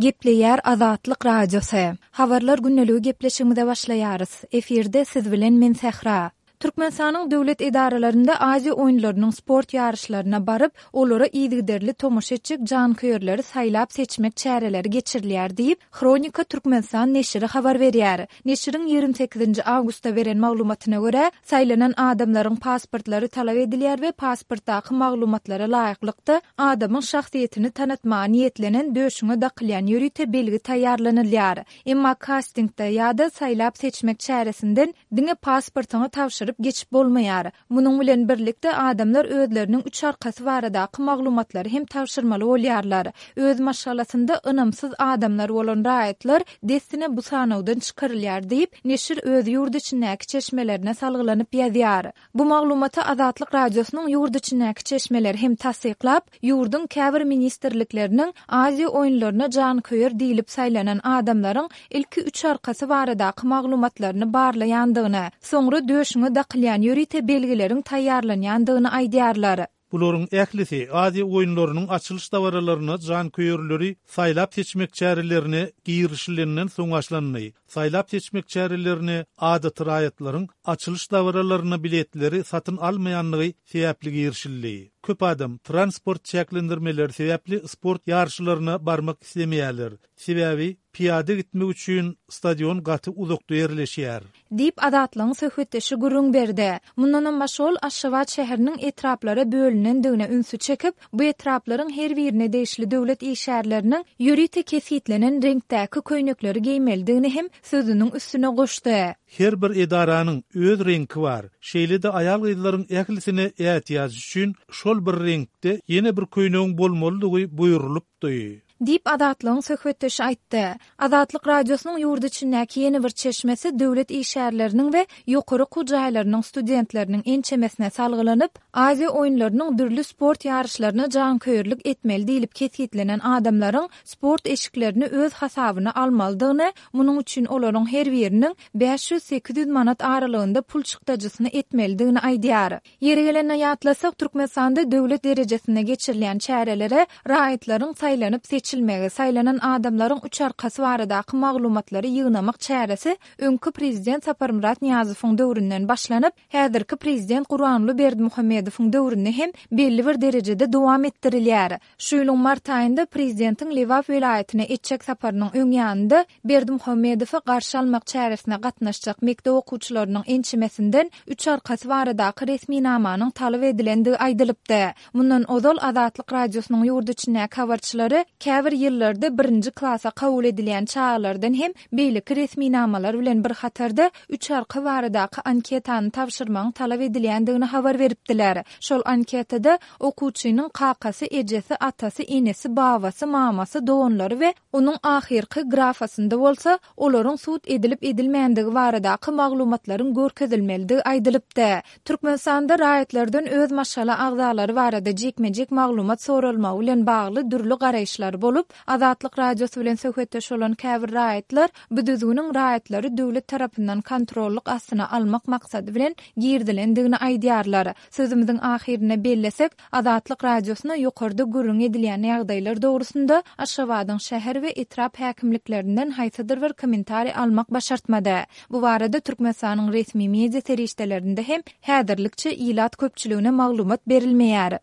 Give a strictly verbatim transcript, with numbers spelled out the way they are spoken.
Gepleýär Azatlyk Radiosy. Habarlar gündeligi gepleşigimize başlaýarys. Efirde siz bilen men Sähra. Türkmenistanyň döwlet edaralarynda Aziýa oýunlarynyň sport ýaryşlaryna baryp, olara yzygiderli tomaşa etjek janköýerleri saýlap-seçmek çäreleri geçirilýär diýip, Hronika Türkmenistan neşiri habar berýär. Neşiriň ýigrimi sekizinji awgustda beren maglumatyna görä, saýlanan adamlaryň pasportlary talap edilýär we pasportdaky maglumatlara laýyklykda, adamyň şahsyýetini tanatmaga niýetlenen döşüňe dakylýan ýörite belgi taýýarlanylýar. Emma kastingde ýa-da saýlap-seçmek çäresinden diňe pasportyňy tabşyryp geçip bolmaýar. Munuň bilen birlikde, adamlar özleriniň üç arkasy baradaky maglumatlary hem tabşyrmaly bolýarlar. Öz maşgalasynda ynamsyz adamlar bolan raýatlar dessine bu sanawdan çykarylýar diýip, neşir öz ýurt içindäki çeşmelerine salgylanyp ýazýar. Bu maglumaty Azatlyk Radiosynyň ýurt içindäki çeşmeleri hem tassyklap, ýurduň käbir ministrlikleriniň Aziýa oýunlaryna janköýer diýlip saýlanan adamlaryň ilki üç arkasy baradaky maglumatlaryny barlaýandygyny, soňra döşüňe dakylýan ýörite belgileriň taýýarlanýandygyny aýdýarlar. Bularyň ählisi Aziýa oýunlarynyň açylyş dabaralaryna janköýerleri saýlap-seçmek çärelerine girişilenden soň başlandy. Saýlap-seçmek çärelerine adaty raýatlaryň açylyş dabaralaryna biletleri satyn almaýanlygy sebäpli girişildi. Köp adam transport çäklendirmeleri sebäpli sport ýaryşlaryna barmak islemeýärler. Sebäbi pyýada gitmek üçin stadion gaty uzakda ýerleşýär. Diýip, Azatlygyň söhbetdeşi gürrüň berdi. Mundanam başga ol Aşgabat şäheriniň etraplara bölünendigine ünsi çekip, bu etraplaryň her birine degişli döwlet işgärleriniň ýörite kesgitlenen reňkdäki köýnekleri geýmelidigini hem sözüniň üstüne goşdy. Her bir edaranyň öz reňki bar. Şeýle-de aýal-gyzlaryň ählisine ätiýaç üçin şol bir reňkde ýene bir köýnegiň bolmalydygy buýrulypdy. Diýip, Azatlygyň söhbetdeşi aýtdy. Azatlyk Radiosynyň ýurt içindäki ýene bir çeşmesi döwlet işgärleriniň we ýokary okuw jaýlarynyň studentleriniň ençemesine salgylanyp, Aziýa oýunlarynyň dürli sport ýaryşlaryna janköýerlik etmeli diýlip kesgitlenen adamlaryň sport eşiklerini öz hasabyna almalydygyny, munuň üçin olaryň her biriniň bäş ýüz-sekiz ýüz manat aralygynda pul çykdajysyny etmelidigini aýdýar. Ýeri gelende ýatlasak, Türkmenistanda döwlet derejesinde geçirilýän çärelere raýatlaryň saýlanyp seçilmegi, saýlanan adamlaryň üç arkasy baradaky maglumatlary ýygnamak çäresi öňki prezident Saparmyrat Nyýazowyň döwründen başlanyp, häzirki prezident Gurbanguly Berdimuhamedowyň döwründe hem belli bir derejede dowam etdirilýär. Şu ýylyň mart aýynda prezidentiň Lebap welaýatyna etjek saparynyň öň ýanynda Berdimuhamedowy garşy almak çäresine gatnaşjak mekdep okuwçylarynyň ençemesinden üç arkasy baradaky resminamanyň talap edilendigi aýdylypdy. Mundan ozal Azatlyk Radiosynyň ýurt içindäki habarçylary käbir ýyllarda birinji klasa kabul edilýän çagalardan hem beýleki resminamalar bilen bir hatarda üç arka baradaky anketany tabşyrmagyň talap edilýändigini habar beripdiler. Şol anketada okuwçynyň kakasy, ejesi, atasy, enesi, babasy, mamasy, doganlary we onuň ahyrky grafasynda bolsa olaryň sud edilip-edilmändigi baradaky maglumatlaryň görkezilmelidigi aýdylypdy. Türkmenistanda raýatlardan öz maşgala agzalary barada jikme-jik maglumat soralmagy bilen bagly dürli garaýyşlar bolup, Azatlyk Radiosy bilen söhbetdeş bolan käbir raýatlar bu düzgüniň raýatlary döwlet tarapyndan kontrollyk astyna almak maksady bilen girizilendigini aýdýarlar. Sözümiziň ahyrynda bellesek, Azatlyk Radiosyna ýokarda gürrüň edilýän ýagdaýlar dogrusynda Aşgabadyň şäher we etrap häkimliklerinden haýsydyr bir kommentariý almak başartmady. Bu barada Türkmenistanyň resmi media serişdelerinde hem häzirlikçe ilat köpçüligine maglumat berilmeýär.